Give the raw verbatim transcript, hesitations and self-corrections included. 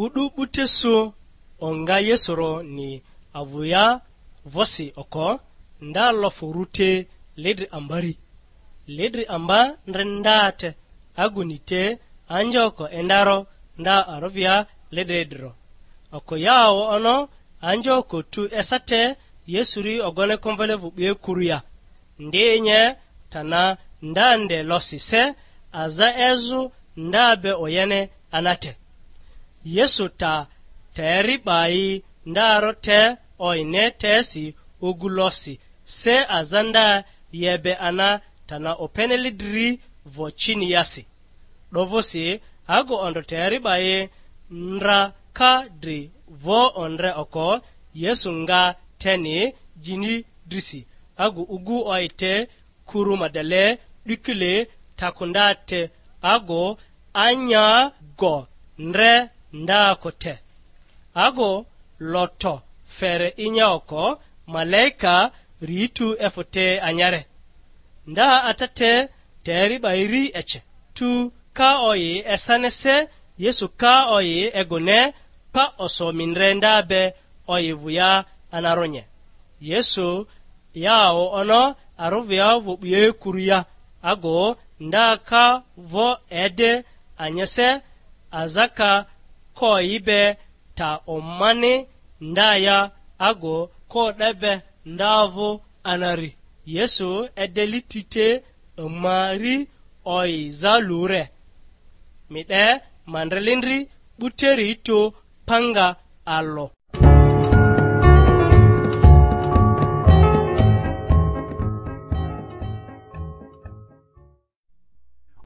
O'du 'bute su onga Yesuroni avᴜ ya vᴜsi oko, nda lofᴜ rᴜ te lidri ambari. Lidri amba ndre nda te, aguni te anjoko endaro nda arovia lidri dro. Oko yawo ono anjoko tu esate Yesuri ogone konvele vᴜ 'bie kuru ya. Ndi nye tana nda nde losi se aza ezᴜ nda be oyene anate. Yesu ta teri 'ba yi ndaro te oyine tesi ogu losi se aza nda yebe ana tana openele dri vo chini yasi. 'Dovᴜsi agu ondro teri 'ba yi ndra ka dri vo ondre oko, Yesu nga teni jini drisi, agu ugu oyi te kuru ma dele 'dikile takunda te, agu anya go ndre ndako te, agu loto fere inya oko, malaika ritu efᴜ te anyare. Nda ata te teri 'ba iri ece. Tu ka oyi esanese, Yesu ka oyi egone, pa oso mindre nda be oyi vᴜ ya anaronye. Yesu yawo ono aruvia vᴜ 'bie kuru ya, ago nda ka vo ede anyese, aza ka ko yi be ta omani nda ya, ago ko 'de be nda vᴜ anari. Yesu edeli ti te ama ri oyi za lure. Mi 'de ma ndrelindri 'buteri tu panga alᴜ.